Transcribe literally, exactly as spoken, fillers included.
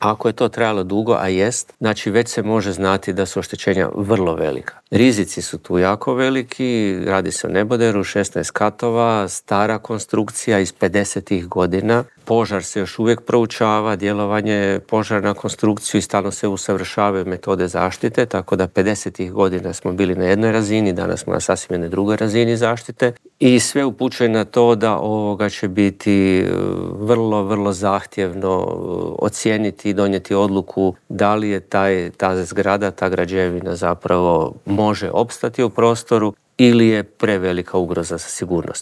Ako je to trajalo dugo, a jest, znači već se može znati da su oštećenja vrlo velika. Rizici su tu jako veliki, radi se o neboderu, šesnaest katova, stara konstrukcija iz pedesetih godina. Požar se još uvijek proučava, djelovanje požara na konstrukciju i stalno se usavršavaju metode zaštite, tako da pedesetih godina smo bili na jednoj razini, danas smo na sasvim jednoj drugoj razini zaštite i sve upućuje na to da ovoga će biti vrlo, vrlo zahtjevno ocijeniti i donijeti odluku da li je taj, ta zgrada, ta građevina zapravo može opstati u prostoru ili je prevelika ugroza za sigurnost.